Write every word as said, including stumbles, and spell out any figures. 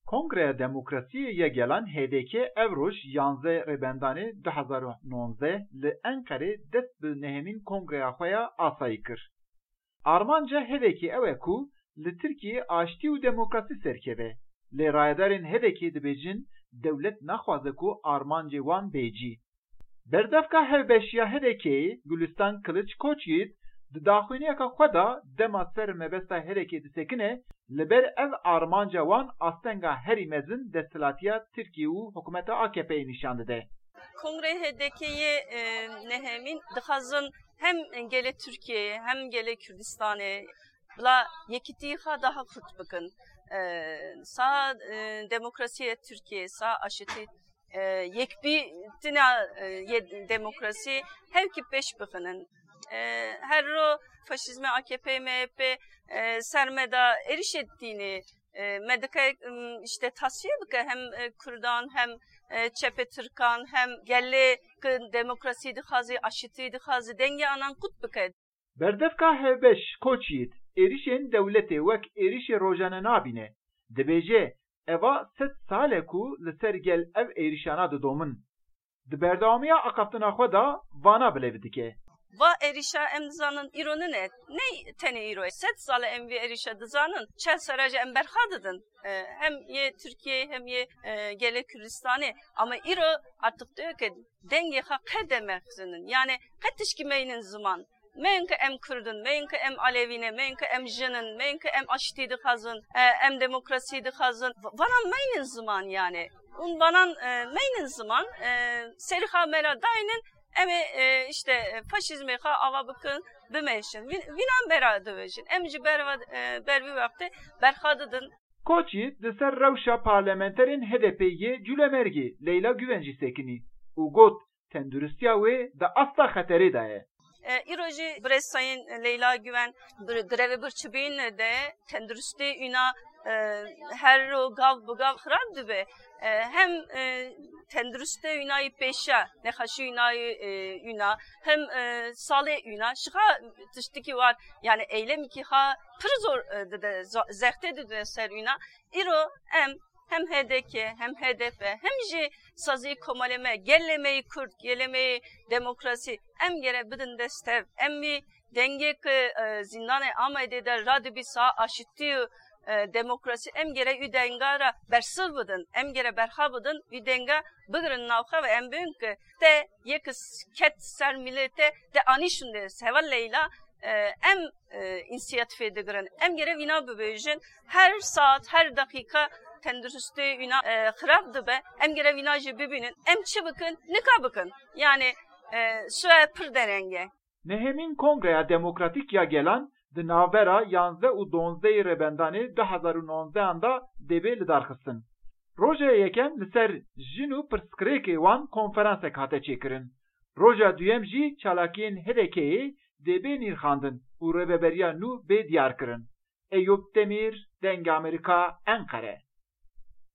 Kongreya Demokrasiyê ya Gelan H D K ev roj yanzdeh Rêbendanê du hezar û nonzdeh li Enqerê dest bi nehemîn kongreya xwe ya asayî kir. Armanca H D K ew e ku li Tirkiyeyê aştî û demokrasî serkeve. Lê rayedarên H D K dibêjin dewlet naxwaze ku armancê wan bê cî. Berdevka hevbeş ya H D K'ê Gulistan Kiliç Koçyiğit di daxuyaniyeke xwe de dema ser mebesta H D K'ê disekine, li ber ev armanca wan astenga herî mezin desthilatiya Tirkiyê û hikûmeta A K P'yê nîşan dide. Kongrê H D K'ê, e, nehemîn dixwazin hem gelê Tirkiyeyê hem gelê Kurdistanê bila yekîtî xwe daha kurt bikin. E, sa, e, demokrasiyê Tirkiyeyê, sa aşitî, e, yekbîtina, e, yê demokrasî hevkî pêş bixinin. E, her ro faşîzmê A K P, M H P, e, ser me de êrişê tînê, e, me dike, m, işte tasfiye bike hem, e, Kurdan hem, e, çepê Tirkan hem gelê ku demokrasî dixwazî, aşitî dixwazî, dengê anan qut bike. Berdevka hevbeş Koçyiğit êrişên dewletê wek êrişê rojane nabîne. Dibêje, eva sed sal e ku li ser gel ev êrişana didomin. Di berdewamiya axaftina xwe de vana bilêv dike. Va êrişa em dizanin îro nine, ney tenê îro. Sed sal e em vî êrişa dizanin, çel sera jî em berxa didin. E, hem yê Tirkiyeyê hem yê, e, gelê Kurdistanê. Ama îro artık diyor ki dengê xwe qede mexzinin. Yani qe tişkî meynin ziman. Meyinke em Kurd in, meyinke em Alevî ne, meyinke em jin in, meyinke em aştî dixwazin, e, em demokrasî dixwazin. V-, vanan meynin ziman yani. Ûn vanan, e, meynin ziman, e, serî xwe me re daynin, em ê, e, işte, e, faşîzmê xwe ava bikin, bimeşin. Vî-, vînan bera dibêjin. Em ji ber ve, e, ber vî wextê berxa didin. Koçyiğit di ser rewşa parlamenterên H D P'ê yê Cûlemergê Leyla Güven jî sekinî û got, tenduristiya wê di asta xeterê de ye. E, îro jî birêz Sayın Leyla Güven bir grevê birçîbîn de tenduristê wîna, e, her ro gav bi gav xirab dibe. E, hem, e, tenduristê wîna yî pêşe, nexweşî wîna yî, e, wîna, hem, e, salê wîna, şixa tiştikî war, yani eylemekî ha pir zor, e, dide, zo-, zextê dide ser wîna. Îro em hem H D K, hem H D P, hem jî sazî komalê me, gelê me yî Kurd, gelê me yî demokrasî, em gere bidin destev. Em vî dengê ku, e, zîndanê Amedê de radibî sa aşitî û, e, demokrasî, em gere wî denga re bersiv bidin. Em gere berxa bidin, wî denga bigirin navxwe ve em bibin ku te yek ket ser milê te, te anî şûnde. Seva Leyla, e, em, e, însiyatîfê digirin. Em gere vîna bibêjin. Her saet, her deqîqa tenduristê wîna, e, xirab dibe. Em gere vîna jî bibînin. Em çi bikin? Nika bikin. Yani, e, suya pir dereng e. Nehemîn Kongreya Demokratîk ya Gelan di navbera yanzdeh û donzdehê Rêbendanê du hezar û nonzdehan de dê bê lidarxistin. Roja yekem li ser jin û pirsgirêkê wan konferansek hate çêkirin. Roja duyem jî çalakiyên H D K'ê dê bê nirxandin û rêveberiya nû bê diyarkirin. Eyûp Demîr, Dengê Amerîka, Enqere.